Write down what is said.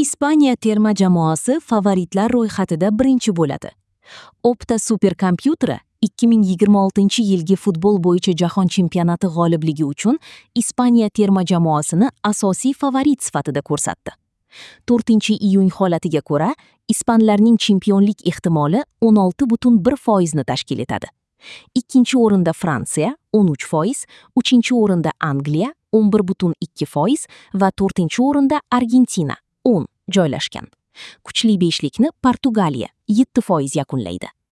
Ispaniya terma jamoasi favoritlar ro'yxatida birinchi bo'ladi. Opta superkompyuteri 2026-yilgi futbol bo'yicha jahon chempionati g'olibligi uchun Ispaniya terma jamoasini asosiy favorit sifatida ko'rsatdi. 4-iyun holatiga ko'ra, ispanlarning chempionlik ehtimoli 16,1% ni tashkil etadi. Ikkinchi o'rinda Fransiya 13%, uchinchi o'rinda Angliya 11,2% va to'rtinchi o'rinda Argentina 10 joylashgan. Kuchli beshlikni Portugaliya 7% yakunlaydi.